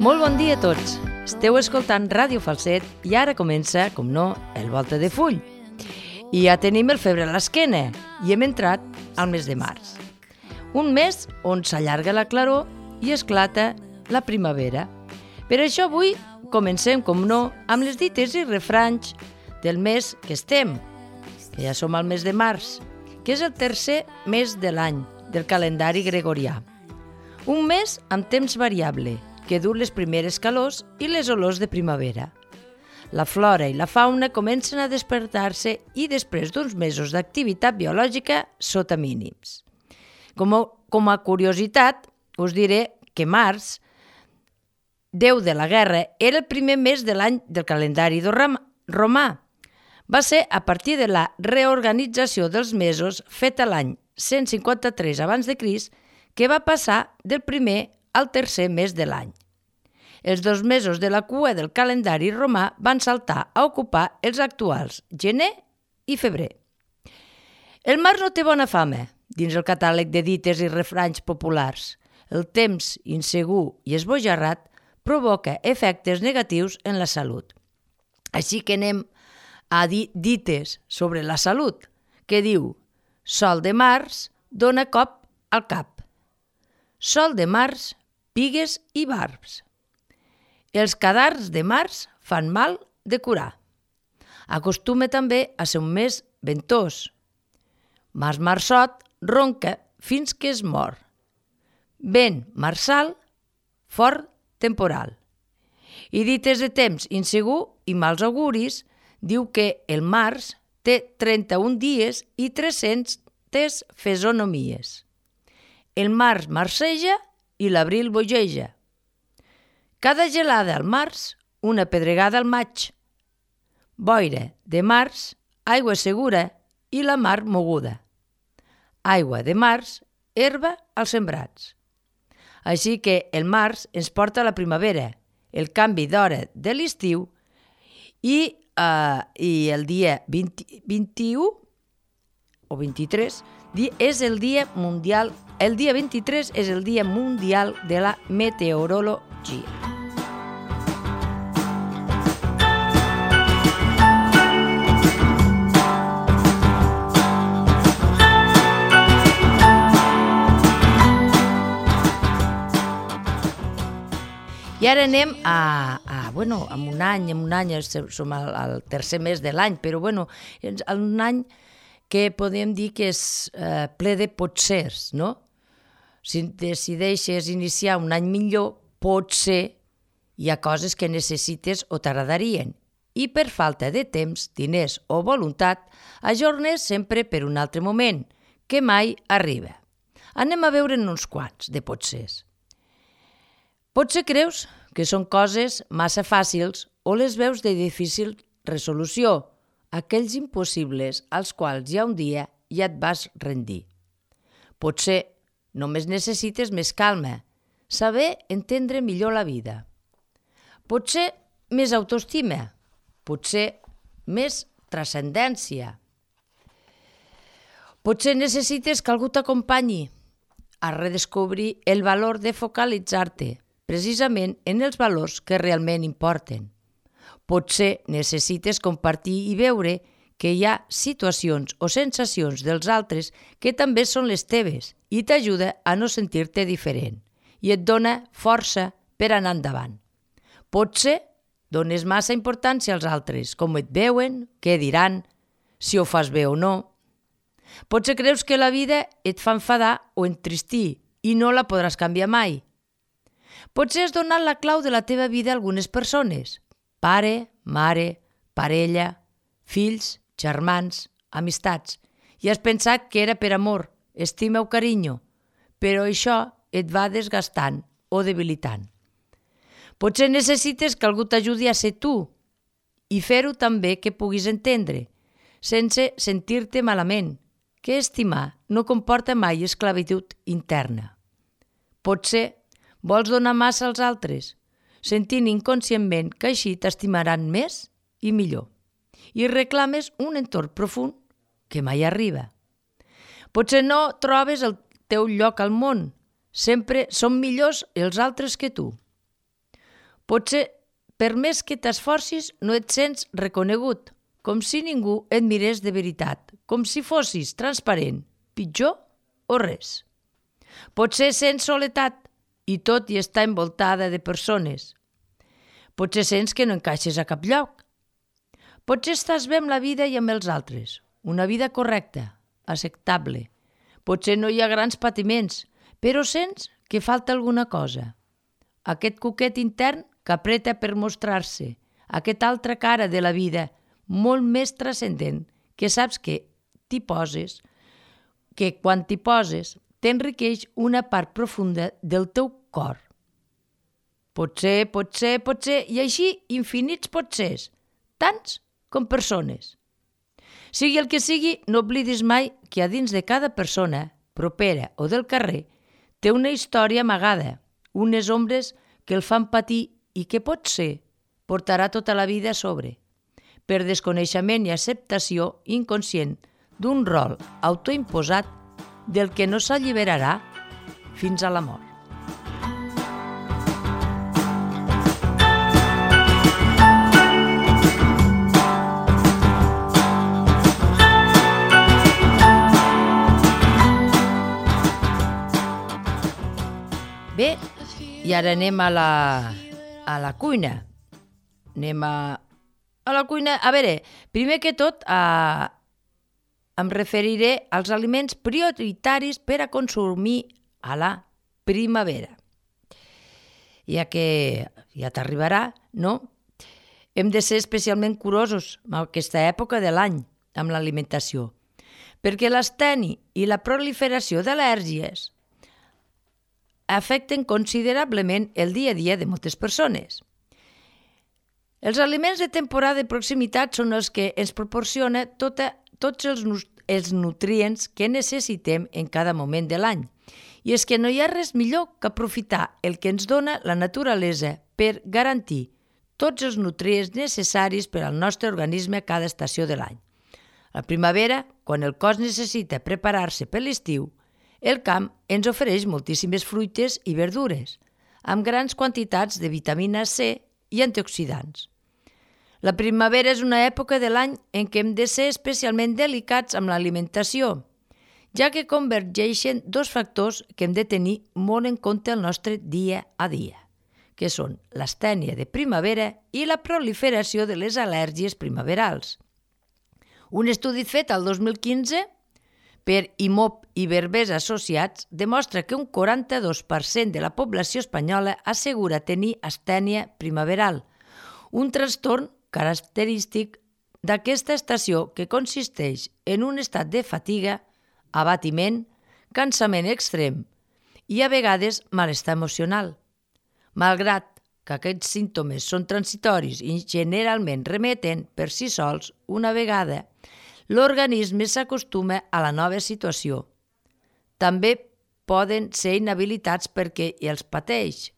Molt bon dia a tots. Esteu escoltant Ràdio Falset i ara comença, com no, el Volta de Full. I ja tenim el febre a l'esquena i hem entrat al mes de març. Un mes on s'allarga la claror i esclata la primavera. Per això avui comencem, com no, amb les dites i refranys del mes que estem, que ja som al mes de març, que és el tercer mes de l'any del calendari gregorià. Un mes amb temps variable, que du les primeres calors i les olors de primavera. La flora i la fauna comencen a despertar-se i després d'uns mesos d'activitat biològica sota mínims. Com a curiositat, us diré que març, déu de la guerra, era el primer mes de l'any del calendari romà. Va ser a partir de la reorganització dels mesos feta l'any 153 abans de Crist que va passar del primer al tercer mes de l'any. Els 2 mesos de la cua del calendari romà van saltar a ocupar els actuals gener i febrer. El març no té bona fama dins el catàleg de dites i refranys populars. El temps insegur i esbojarrat provoca efectes negatius en la salut. Així que anem a dir dites sobre la salut, que diu: sol de març dona cop al cap. Sol de març, pigues i barbs. Els cadars de març fan mal de curar. Acostuma també a ser un mes ventós. Marçot ronca fins que es mor. Vent marçal, fort temporal. I dites de temps insegur i mals auguris, diu que el març té 31 dies i 300 fesonomies. El març marceja i l'abril bogeja. Cada gelada al març, una pedregada al maig. Boira de març, aigua segura i la mar moguda. Aigua de març, herba als sembrats. Així que el març ens porta a la primavera, el canvi d'hora de l'estiu i el dia 21 o 23 és el dia mundial. El dia 23 és el dia mundial de la meteorologia. I ara anem amb un any, som al tercer mes de l'any, però un any que podem dir que és ple de potsers, no? Si decideixes iniciar un any millor, potser hi ha coses que necessites o t'agradarien i per falta de temps, diners o voluntat, ajornes sempre per un altre moment, que mai arriba. Anem a veure'n uns quants de potsers. Potser creus que són coses massa fàcils o les veus de difícil resolució, aquells impossibles als quals ja un dia ja et vas rendir. Potser només necessites més calma, saber entendre millor la vida. Potser més autoestima, potser més transcendència. Potser necessites que algú t'acompanyi a redescobrir el valor de focalitzar-te precisament en els valors que realment importen. Potser necessites compartir i veure que hi ha situacions o sensacions dels altres que també són les teves i t'ajuda a no sentir-te diferent i et dona força per anar endavant. Potser dones massa importància als altres, com et veuen, què diran, si ho fas bé o no. Potser creus que la vida et fa enfadar o entristir i no la podràs canviar mai. Potser has donat la clau de la teva vida a algunes persones, pare, mare, parella, fills, germans, amistats, i has pensat que era per amor, estima o carinyo, però això et va desgastant o debilitant. Potser necessites que algú t'ajudi a ser tu i fer-ho també que puguis entendre, sense sentir-te malament, que estimar no comporta mai esclavitud interna. Potser vols donar massa als altres, sentint inconscientment que així t'estimaran més i millor, i reclames un entorn profund que mai arriba. Potser no trobes el teu lloc al món, sempre són millors els altres que tu. Potser, per més que t'esforcis, no et sents reconegut, com si ningú et mirés de veritat, com si fossis transparent, pitjor o res. Potser sents soledat i tot i està envoltada de persones. Potser sents que no encaixes a cap lloc. Potser estàs bé amb la vida i amb els altres, una vida correcta, acceptable. Potser no hi ha grans patiments, però sents que falta alguna cosa. Aquest cuquet intern que apreta per mostrar-se, aquesta altra cara de la vida, molt més transcendent, que saps que t'hi poses, que quan t'hi poses t'enriqueix una part profunda del teu cor. Potser, i així infinits potsers, tants com persones. Sigui el que sigui, no oblidis mai que a dins de cada persona, propera o del carrer, té una història amagada, unes ombres que el fan patir i que potser portarà tota la vida a sobre, per desconeixement i acceptació inconscient d'un rol autoimposat del que no s'alliberarà fins a la mort. Bé, i ara anem a la cuina. Anem a la cuina. A veure, primer que tot em referiré als aliments prioritaris per a consumir a la primavera. Ja que ja t'arribarà, no? Hem de ser especialment curosos en aquesta època de l'any amb l'alimentació, perquè l'asteni i la proliferació d'al·lèrgies afecten considerablement el dia a dia de moltes persones. Els aliments de temporada de proximitat són els que ens proporcionen tots els nutrients que necessitem en cada moment de l'any. I és que no hi ha res millor que aprofitar el que ens dona la naturalesa per garantir tots els nutrients necessaris per al nostre organisme a cada estació de l'any. A la primavera, quan el cos necessita preparar-se per l'estiu, el camp ens ofereix moltíssimes fruites i verdures, amb grans quantitats de vitamina C i antioxidants. La primavera és una època de l'any en què hem de ser especialment delicats amb l'alimentació, ja que convergeixen dos factors que hem de tenir molt en compte el nostre dia a dia, que són l'astènia de primavera i la proliferació de les al·lèrgies primaverals. Un estudi fet al 2015 per IMOP i Berbers Associats demostra que un 42% de la població espanyola assegura tenir astènia primaveral, un trastorn característic d'aquesta estació que consisteix en un estat de fatiga, abatiment, cansament extrem i a vegades malestar emocional. Malgrat que aquests símptomes són transitoris i generalment remeten per si sols una vegada, l'organisme s'acostuma a la nova situació. També poden ser inhabilitats perquè els pateix,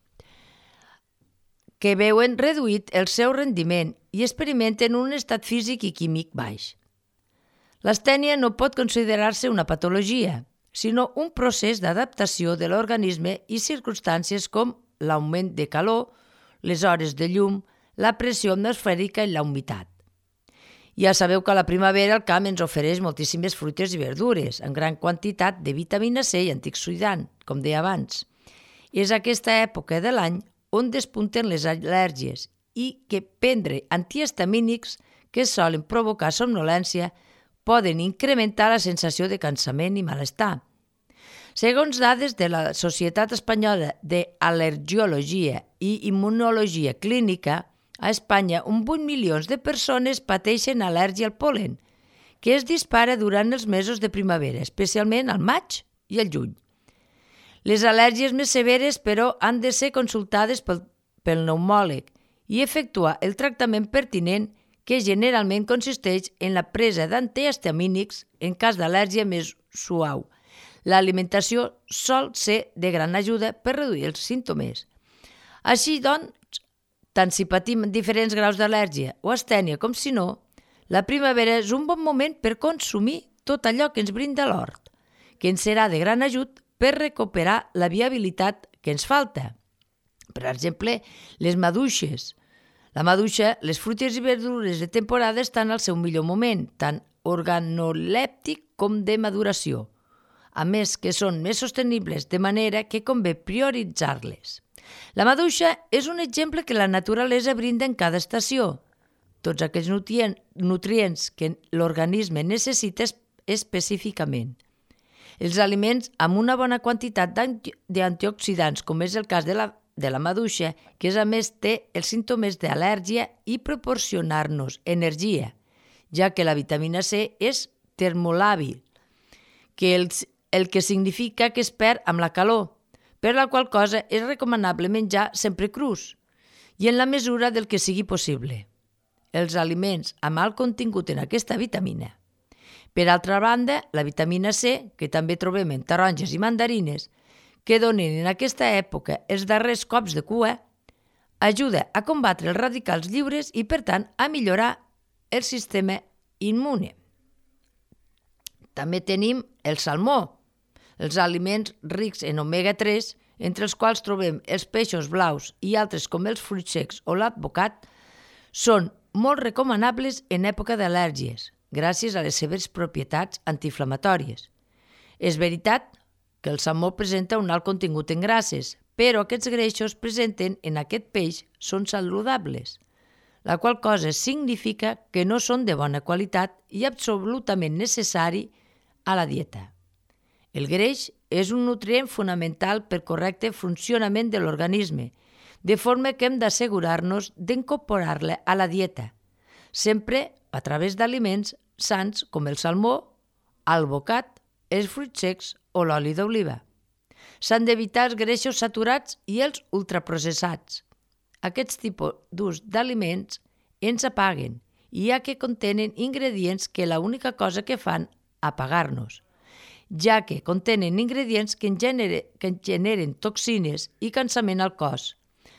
que veuen reduït el seu rendiment i experimenten un estat físic i químic baix. L'astènia no pot considerar-se una patologia, sinó un procés d'adaptació de l'organisme i circumstàncies com l'augment de calor, les hores de llum, la pressió atmosfèrica i la humitat. Ja sabeu que a la primavera el camp ens ofereix moltíssimes fruites i verdures, en gran quantitat de vitamina C i antioxidant, com deia abans. És aquesta època de l'any on despunten les al·lèrgies i que prendre antihistamínics que solen provocar somnolència poden incrementar la sensació de cansament i malestar. Segons dades de la Societat Espanyola d'Al·lergiologia i Immunologia Clínica, a Espanya, 8 milions de persones pateixen al·lèrgia al pol·len, que es dispara durant els mesos de primavera, especialment al maig i al juny. Les al·lèrgies més severes, però, han de ser consultades pel pneumòleg i efectuar el tractament pertinent, que generalment consisteix en la presa d'antihistamínics en cas d'al·lèrgia més suau. L'alimentació sol ser de gran ajuda per reduir els símptomes. Així, doncs, tant si patim diferents graus d'al·lèrgia o astènia com si no, la primavera és un bon moment per consumir tot allò que ens brinda l'hort, que ens serà de gran ajut per recuperar la viabilitat que ens falta. Per exemple, les maduixes. La maduixa, les fruites i verdures de temporada estan al seu millor moment, tant organolèptic com de maduració. A més que són més sostenibles, de manera que convé prioritzar-les. La maduixa és un exemple que la naturalesa brinda en cada estació. Tots aquells nutrients que l'organisme necessita específicament. Els aliments amb una bona quantitat d'antioxidants, com és el cas de la maduixa, que a més té els símptomes d'al·lèrgia i proporcionar-nos energia, ja que la vitamina C és termolàbil, el que significa que es perd amb la calor, per la qual cosa és recomanable menjar sempre crus i en la mesura del que sigui possible. Els aliments amb alt contingut en aquesta vitamina. Per altra banda, la vitamina C, que també trobem en taronges i mandarines, que donen en aquesta època els darrers cops de cua, ajuda a combatre els radicals lliures i, per tant, a millorar el sistema immune. També tenim el salmó, els aliments rics en omega-3, entre els quals trobem els peixos blaus i altres com els fruits secs o l'advocat, són molt recomanables en època d'al·lèrgies, gràcies a les seves propietats antiinflamatòries. És veritat que el salmó presenta un alt contingut en grasses, però aquests greixos presenten en aquest peix són saludables, la qual cosa significa que no són de bona qualitat i absolutament necessari a la dieta. El greix és un nutrient fonamental per correcte funcionament de l'organisme, de forma que hem d'assegurar-nos d'incorporar-la a la dieta, sempre a través d'aliments sans com el salmó, el bocat, els fruits secs o l'oli d'oliva. S'han d'evitar els greixos saturats i els ultraprocessats. Aquests tipus d'aliments ens apaguen, ja que contenen ingredients que l'única cosa que fan apagar-nos, ja que contenen ingredients que generen toxines i cansament al cos,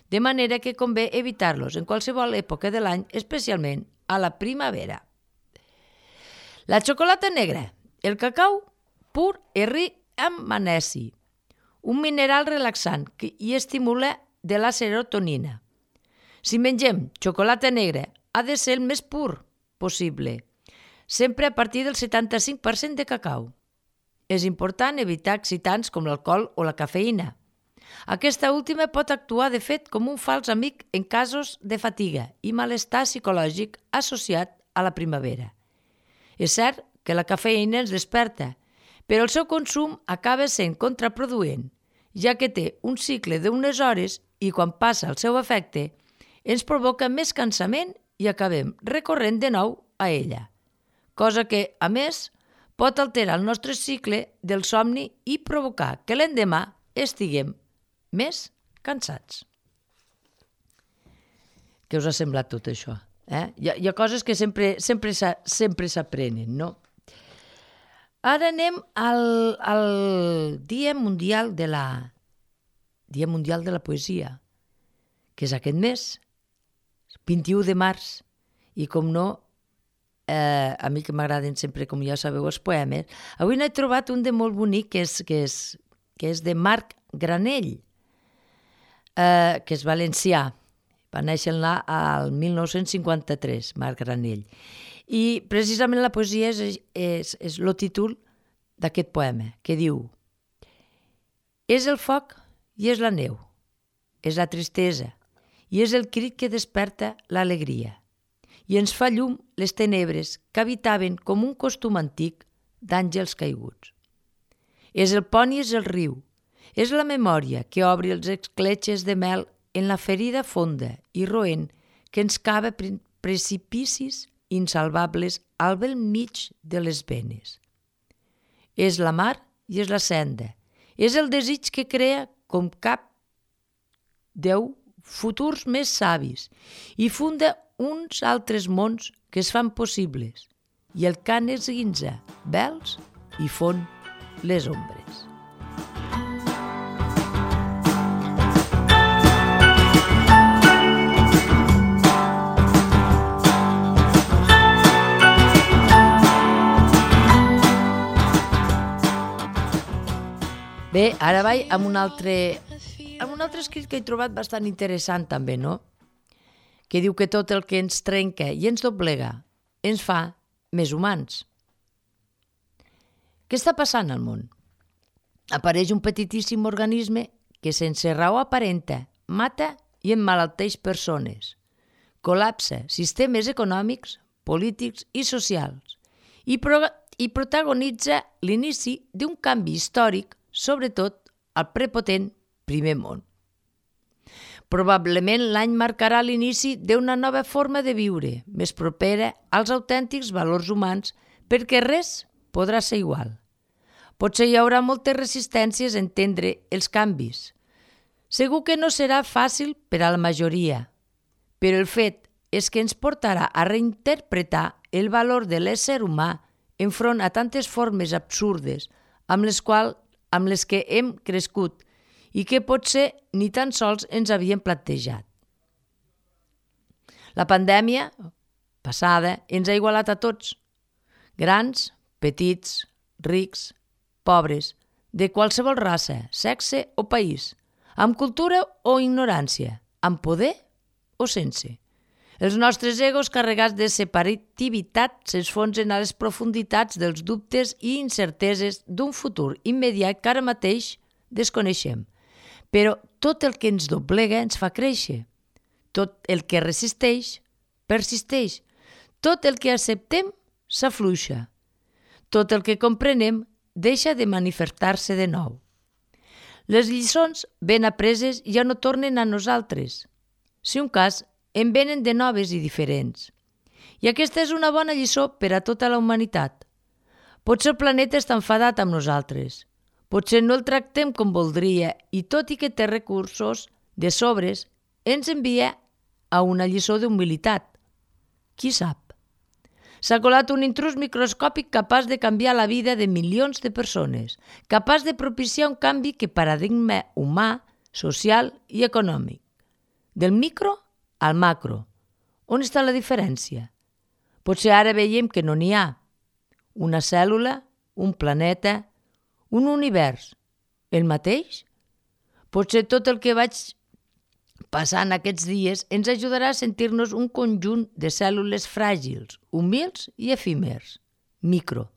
de manera que convé evitar-los en qualsevol època de l'any, especialment a la primavera. La xocolata negra. El cacau pur és ric en magnesi, un mineral relaxant i estimula de la serotonina. Si mengem xocolata negra, ha de ser el més pur possible, sempre a partir del 75% de cacau. És important evitar excitants com l'alcohol o la cafeïna. Aquesta última pot actuar, de fet, com un fals amic en casos de fatiga i malestar psicològic associat a la primavera. És cert que la cafeïna ens desperta, però el seu consum acaba sent contraproduent, ja que té un cicle d'unes hores i quan passa el seu efecte ens provoca més cansament i acabem recorrent de nou a ella, cosa que, a més, pot alterar el nostre cicle del somni i provocar que l'endemà estiguem més cansats. Què us ha semblat tot això? Hi ha coses que sempre s'aprenen, no? Ara anem al Dia Mundial de la Poesia, que és aquest mes, 21 de març, i com no, a mi que m'agraden sempre, com ja sabeu, els poemes, avui n'he trobat un de molt bonic que és de Marc Granell, que és valencià. Va néixer al 1953, Marc Granell. I precisament la poesia és el títol d'aquest poema, que diu: és el foc i és la neu, és la tristesa i és el crit que desperta l'alegria i ens fa llum les tenebres que habitaven com un costum antic d'àngels caiguts. És el pont i és el riu, és la memòria que obri els escletxes de mel en la ferida fonda i roent que ens cava precipicis insalvables al bell mig de les venes. És la mar i és la senda, és el desig que crea com cap Déu futurs més savis i funda uns altres mons que es fan possibles i el cant esguinza vels i fon les ombres. Bé, ara vaig amb un altre amb un altre escrit que he trobat bastant interessant també, no? Que diu que tot el que ens trenca i ens doblega ens fa més humans. Què està passant al món? Apareix un petitíssim organisme que sense raó aparenta, mata i emmalalteix persones. Col·lapsa sistemes econòmics, polítics i socials i protagonitza l'inici d'un canvi històric, sobretot al prepotent primer món. Probablement l'any marcarà l'inici d'una nova forma de viure, més propera als autèntics valors humans, perquè res podrà ser igual. Potser hi haurà moltes resistències a entendre els canvis. Segur que no serà fàcil per a la majoria, però el fet és que ens portarà a reinterpretar el valor de l'ésser humà enfront a tantes formes absurdes amb les que hem crescut i que potser ni tan sols ens havíem plantejat. La pandèmia passada ens ha igualat a tots, grans, petits, rics, pobres, de qualsevol raça, sexe o país, amb cultura o ignorància, amb poder o sense. Els nostres egos carregats de separativitat s'esfonsen a les profunditats dels dubtes i incerteses d'un futur immediat que ara mateix desconeixem. Però tot el que ens doblega ens fa créixer. Tot el que resisteix, persisteix. Tot el que acceptem, s'afluixa. Tot el que comprenem, deixa de manifestar-se de nou. Les lliçons ben apreses ja no tornen a nosaltres. Si un cas, en venen de noves i diferents. I aquesta és una bona lliçó per a tota la humanitat. Potser el planeta està enfadat amb nosaltres. Potser no el tractem com voldria i tot i que té recursos de sobres, ens envia a una lliçó d'humilitat. Qui sap? S'ha colat un intrus microscòpic capaç de canviar la vida de milions de persones, capaç de propiciar un canvi que paradigma humà, social i econòmic. Del micro al macro. On està la diferència? Potser ara veiem que no n'hi ha. Una cèl·lula, un planeta, un univers. El mateix? Potser tot el que vaig passant aquests dies ens ajudarà a sentir-nos un conjunt de cèl·lules fràgils, humils i efímers, micro,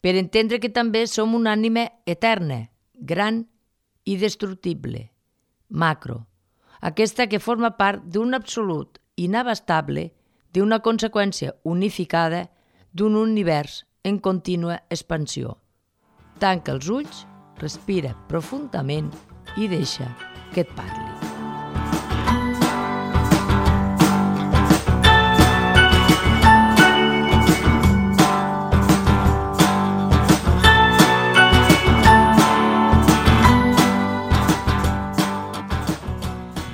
per entendre que també som una ànima eterna, gran i destructible, macro, aquesta que forma part d'un absolut inabastable, d'una conseqüència unificada d'un univers en contínua expansió. Tanca els ulls, respira profundament i deixa que et parli.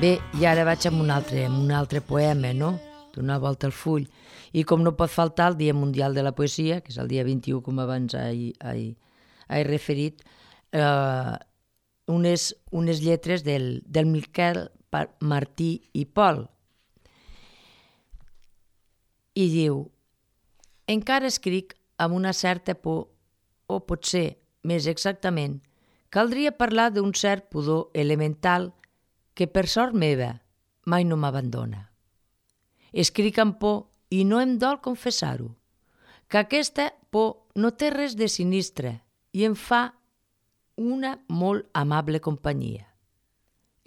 Bé, i ara vaig amb un altre poema, no? D'una volta al full. I com no pot faltar el Dia Mundial de la Poesia, que és el dia 21, com abans he referit, unes lletres del Miquel Martí i Pol. I diu: encara escric amb una certa por, o potser, més exactament, caldria parlar d'un cert pudor elemental que per sort meva mai no m'abandona. Escric amb por i no em dol confessar-ho, que aquesta por no té res de sinistre i em fa una molt amable companyia.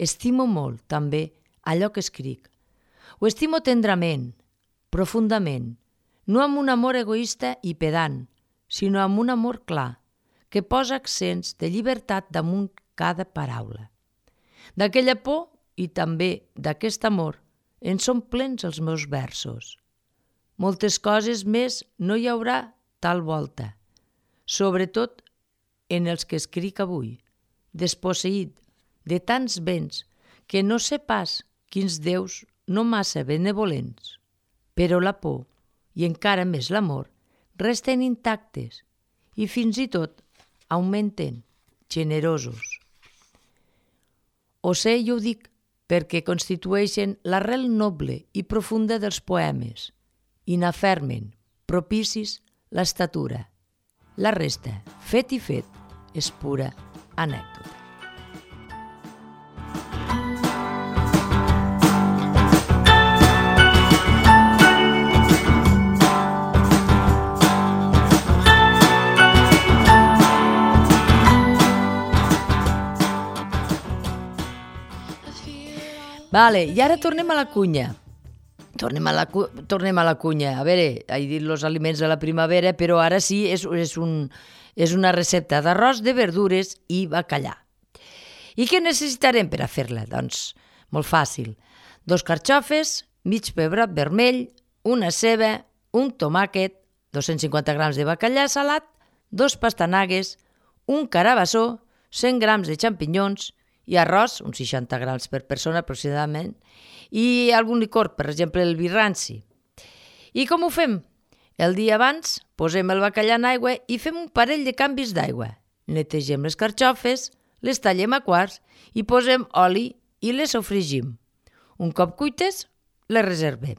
Estimo molt, també, allò que escric. Ho estimo tendrament, profundament, no amb un amor egoista i pedant, sinó amb un amor clar, que posa accents de llibertat damunt cada paraula. D'aquella por i també d'aquest amor en són plens els meus versos. Moltes coses més no hi haurà tal volta, sobretot en els que escric avui, desposseït de tants béns que no sé pas quins déus no massa benevolents, però la por i encara més l'amor resten intactes i fins i tot augmenten, generosos. Ho sé i ho dic perquè constitueixen l'arrel noble i profunda dels poemes i n'afermen, propicis, l'estatura. La resta, fet i fet, és pura anècdota. Vale, i ara tornem a la cunya. Tornem a la cunya. A veure, he dit els aliments de la primavera, però ara sí, és una recepta d'arròs, de verdures i bacallà. I què necessitarem per a fer-la? Doncs molt fàcil. 2 carxofes, mig pebrot vermell, una ceba, un tomàquet, 250 grams de bacallà salat, 2 pastanagues, un carabassó, 100 grams de xampinyons i arròs, uns 60 grams per persona aproximadament, i algun licor, per exemple el vi ranci. I com ho fem? El dia abans posem el bacallà en aigua i fem un parell de canvis d'aigua. Netegem les carxofes, les tallem a quarts i posem oli i les sofregim. Un cop cuites, les reservem.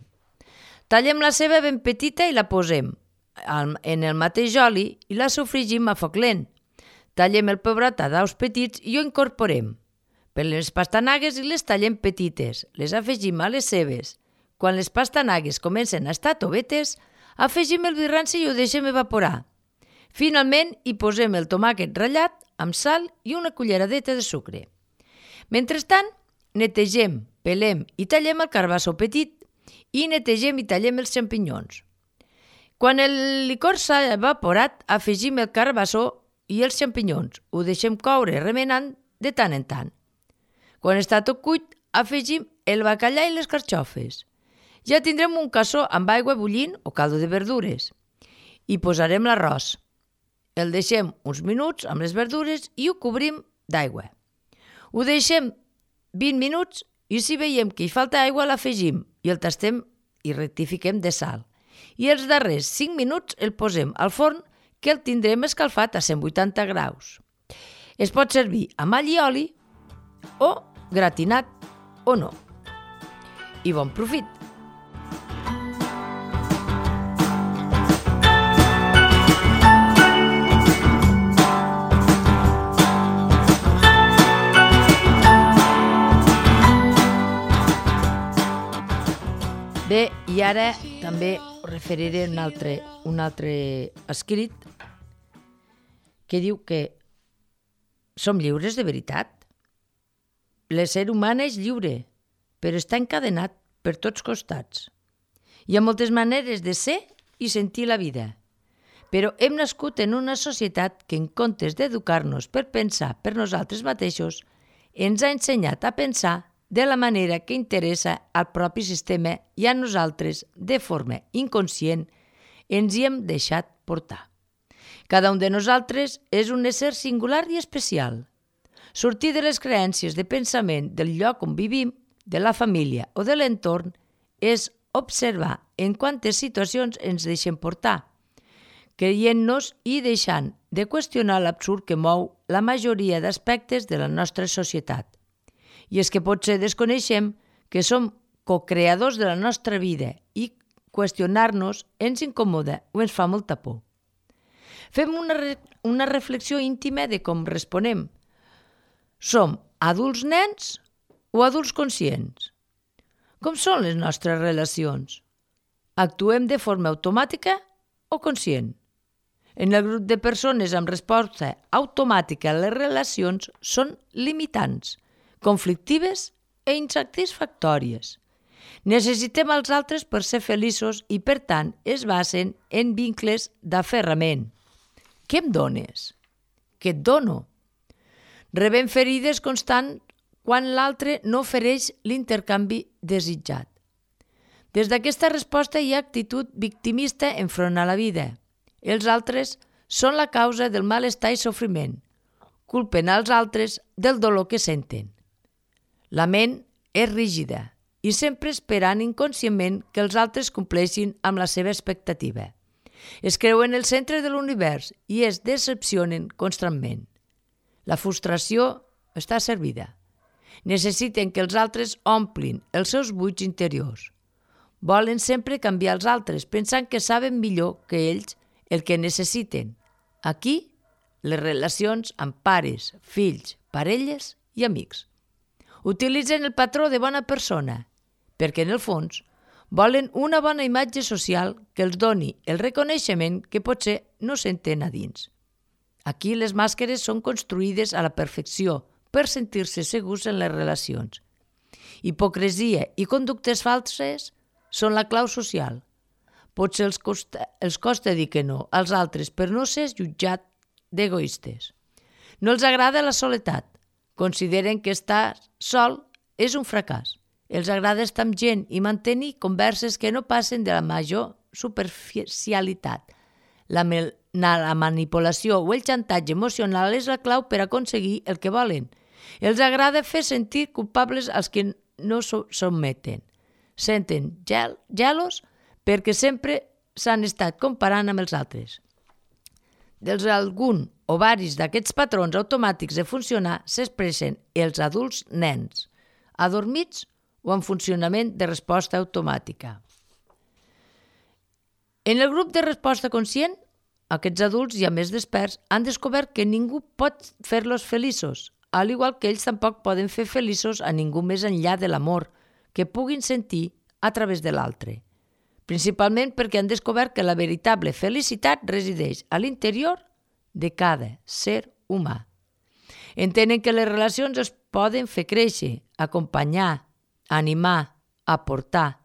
Tallem la ceba ben petita i la posem en el mateix oli i la sofregim a foc lent. Tallem el pebrot a daus petits i ho incorporem. Per les pastanagues i les tallem petites, les afegim a les cebes. Quan les pastanagues comencen a estar tovetes, afegim el vi ranci i ho deixem evaporar. Finalment hi posem el tomàquet ratllat amb sal i una culleradeta de sucre. Mentrestant, netegem, pelem i tallem el carabassó petit i netegem i tallem els xampinyons. Quan el licor s'ha evaporat, afegim el carabassó i els xampinyons. Ho deixem coure remenant de tant en tant. Quan està tot cuit, afegim el bacallà i les carxofes. Ja tindrem un cassó amb aigua bullint o caldo de verdures. Hi posarem l'arròs. El deixem uns minuts amb les verdures i ho cobrim d'aigua. Ho deixem 20 minuts i si veiem que hi falta aigua l'afegim i el tastem i rectifiquem de sal. I els darrers 5 minuts el posem al forn que el tindrem escalfat a 180 graus. Es pot servir amb all i oli o gratinat o no. I bon profit! Bé, i ara també us referiré un altre escrit que diu que som lliures de veritat. L'ésser humà és lliure, però està encadenat per tots costats. Hi ha moltes maneres de ser i sentir la vida, però hem nascut en una societat que en comptes d'educar-nos per pensar per nosaltres mateixos, ens ha ensenyat a pensar de la manera que interessa al propi sistema i a nosaltres, de forma inconscient, ens hi hem deixat portar. Cada un de nosaltres és un ésser singular i especial. Sortir de les creences de pensament del lloc on vivim, de la família o de l'entorn, és observar en quantes situacions ens deixem portar, creient-nos i deixant de qüestionar l'absurd que mou la majoria d'aspectes de la nostra societat. I és que potser desconeixem que som cocreadors de la nostra vida i qüestionar-nos ens incomoda o ens fa molta por. Fem una reflexió íntima de com responem. Som adults nens o adults conscients? Com són les nostres relacions? Actuem de forma automàtica o conscient? En el grup de persones amb resposta automàtica les relacions són limitants, conflictives i insatisfactòries. Necessitem els altres per ser feliços i, per tant, es basen en vincles d'aferrament. Què em dones? Què et dono? Rebem ferides constant quan l'altre no ofereix l'intercanvi desitjat. Des d'aquesta resposta hi ha actitud victimista enfront a la vida. Els altres són la causa del malestar i sofriment. Culpen als altres del dolor que senten. La ment és rígida i sempre esperant inconscientment que els altres compleixin amb la seva expectativa. Es creuen el centre de l'univers i es decepcionen constantment. La frustració està servida. Necessiten que els altres omplin els seus buits interiors. Volen sempre canviar els altres pensant que saben millor que ells el que necessiten. Aquí, les relacions amb pares, fills, parelles i amics. Utilitzen el patró de bona persona, perquè en el fons volen una bona imatge social que els doni el reconeixement que potser no senten a dins. Aquí les màscares són construïdes a la perfecció per sentir-se segurs en les relacions. Hipocresia i conductes falses són la clau social. Potser els costa dir que no als altres per no ser jutjat d'egoistes. No els agrada la soledat. Consideren que estar sol és un fracàs. Els agrada estar amb gent i mantenir converses que no passen de la major superficialitat. La manipulació o el xantatge emocional és la clau per aconseguir el que volen. Els agrada fer sentir culpables als que no s'ometen. Senten gelos perquè sempre s'han estat comparant amb els altres. Dels algun o varis d'aquests patrons automàtics de funcionar s'expressen els adults nens, adormits o en funcionament de resposta automàtica. En el grup de resposta conscient, aquests adults ja més desperts han descobert que ningú pot fer-los feliços, al igual que ells tampoc poden fer feliços a ningú més enllà de l'amor que puguin sentir a través de l'altre. Principalment perquè han descobert que la veritable felicitat resideix a l'interior de cada ser humà. Entenen que les relacions es poden fer créixer, acompanyar, animar, aportar,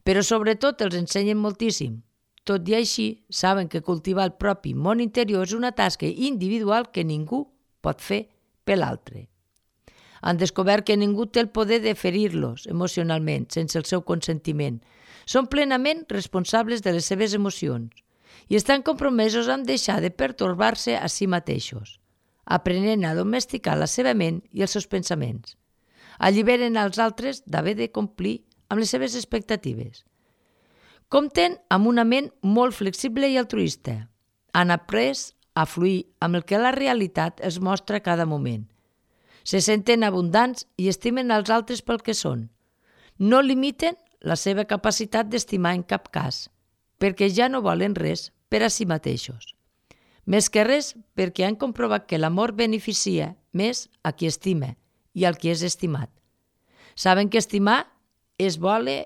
però sobretot els ensenyen moltíssim. Tot i així, saben que cultivar el propi món interior és una tasca individual que ningú pot fer per l'altre. Han descobert que ningú té el poder de ferir-los emocionalment sense el seu consentiment. Són plenament responsables de les seves emocions i estan compromesos amb deixar de pertorbar-se a si mateixos, aprenent a domesticar la seva ment i els seus pensaments. Alliberen als altres d'haver de complir amb les seves expectatives. Compten amb una ment molt flexible i altruista. Han après a fluir amb el que la realitat es mostra a cada moment. Se senten abundants i estimen els altres pel que són. No limiten la seva capacitat d'estimar en cap cas, perquè ja no volen res per a si mateixos. Més que res perquè han comprovat que l'amor beneficia més a qui estima i al qui és estimat. Saben que estimar és voler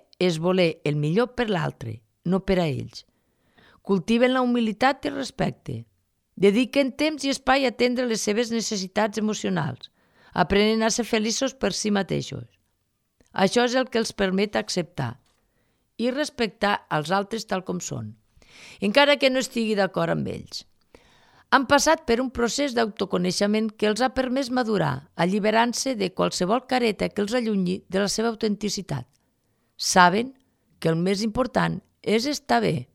el millor per l'altre, no per a ells. Cultiven la humilitat i el respecte. Dediquen temps i espai a atendre les seves necessitats emocionals, aprenent a ser feliços per si mateixos. Això és el que els permet acceptar i respectar els altres tal com són, encara que no estigui d'acord amb ells. Han passat per un procés d'autoconeixement que els ha permès madurar, alliberant-se de qualsevol careta que els allunyi de la seva autenticitat. Saben que el més important és estar bé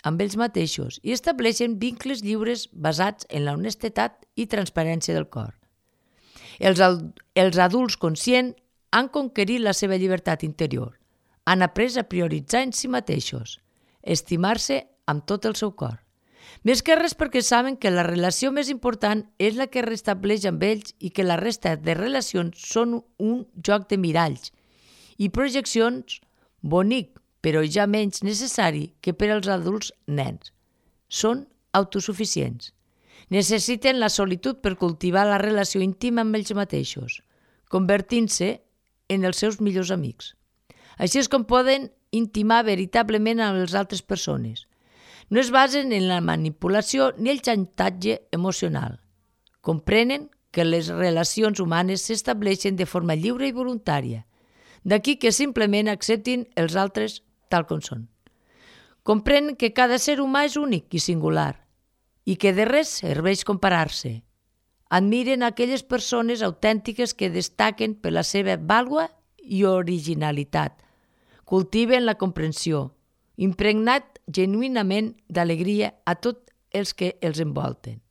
amb ells mateixos i estableixen vincles lliures basats en la honestedat i transparència del cor. Els adults conscients han conquerit la seva llibertat interior, han après a prioritzar en si mateixos, estimar-se amb tot el seu cor. Més que res perquè saben que la relació més important és la que restableix amb ells i que la resta de relacions són un joc de miralls i projeccions bonic, però ja menys necessari que per als adults nens. Són autosuficients. Necessiten la solitud per cultivar la relació íntima amb ells mateixos, convertint-se en els seus millors amics. Així és com poden intimar veritablement amb les altres persones. No es basen en la manipulació ni el xantatge emocional. Comprenen que les relacions humanes s'estableixen de forma lliure i voluntària. D'aquí que simplement acceptin els altres tal com són. Comprenen que cada ser humà és únic i singular i que de res serveix comparar-se. Admiren aquelles persones autèntiques que destaquen per la seva vàlua i originalitat. Cultiven la comprensió, impregnat genuïnament d'alegria a tots els que els envolten.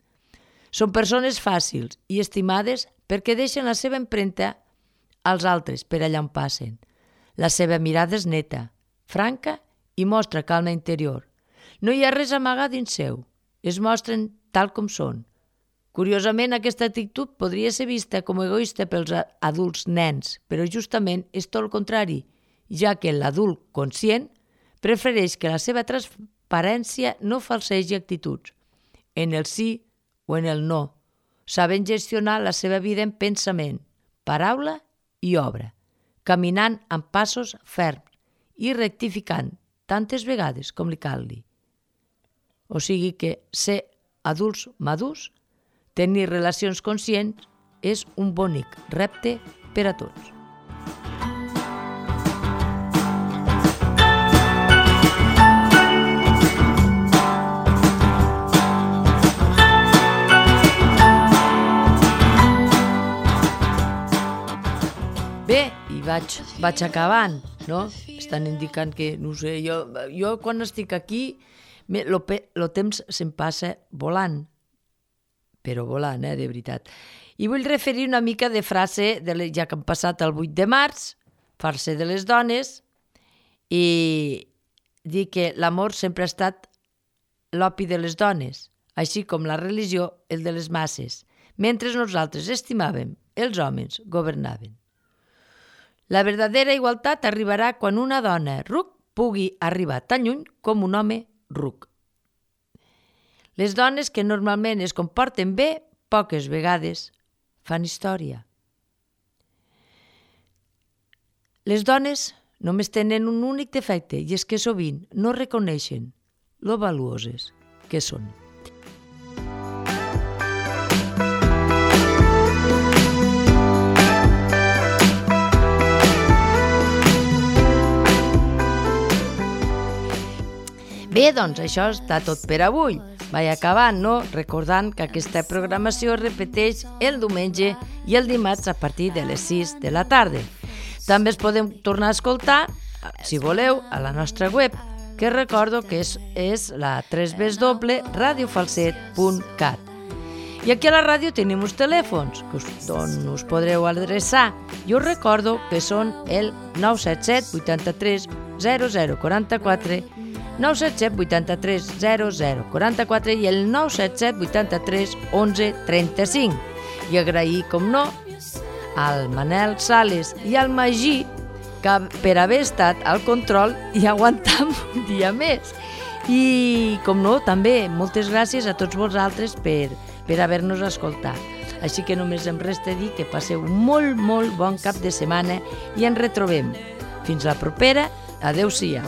Són persones fàcils i estimades perquè deixen la seva empremta als altres per allà on passen. La seva mirada és neta, franca i mostra calma interior. No hi ha res amagat dins seu. Es mostren tal com són. Curiosament, aquesta actitud podria ser vista com egoista pels adults nens, però justament és tot el contrari, ja que l'adult conscient prefereix que la seva transparència no falsegi actituds, en el sí o en el no, sabent gestionar la seva vida en pensament, paraula i obra, caminant amb passos ferms i rectificant tantes vegades com li calgui. O sigui que ser adults madurs, tenir relacions conscients, és un bonic repte per a tots. Bé, i vaig acabant, no? Estan indicant que, no sé, jo quan estic aquí, el temps se'm passa volant, però volant, de veritat. I vull referir una mica de frase, ja que hem passat el 8 de març, farse de les dones, i dir que l'amor sempre ha estat l'opi de les dones, així com la religió el de les masses, mentre nosaltres estimàvem, els homes governaven. La verdadera igualtat arribarà quan una dona ruc pugui arribar tan lluny com un home ruc. Les dones que normalment es comporten bé, poques vegades fan història. Les dones només tenen un únic defecte i és que sovint no reconeixen lo valuoses que són. Bé, doncs això està tot per avui. Vaig acabant, no? Recordant que aquesta programació es repeteix el diumenge i el dimarts a partir de les 6 de la tarda. També es podem tornar a escoltar, si voleu, a la nostra web, que recordo que és la www.radiofalset.cat. I aquí a la ràdio tenim uns telèfons on us podreu adreçar. Jo us recordo que són el 977 83 0044, 977 83 0044 i el 977 83 11 35. I agrair, com no, al Manel Sales i al Magí per haver estat al control i aguantar un dia més. I, com no, també moltes gràcies a tots vosaltres per haver-nos escoltat. Així que només em resta dir que passeu molt, molt bon cap de setmana i ens retrobem. Fins la propera. Adéu-siau.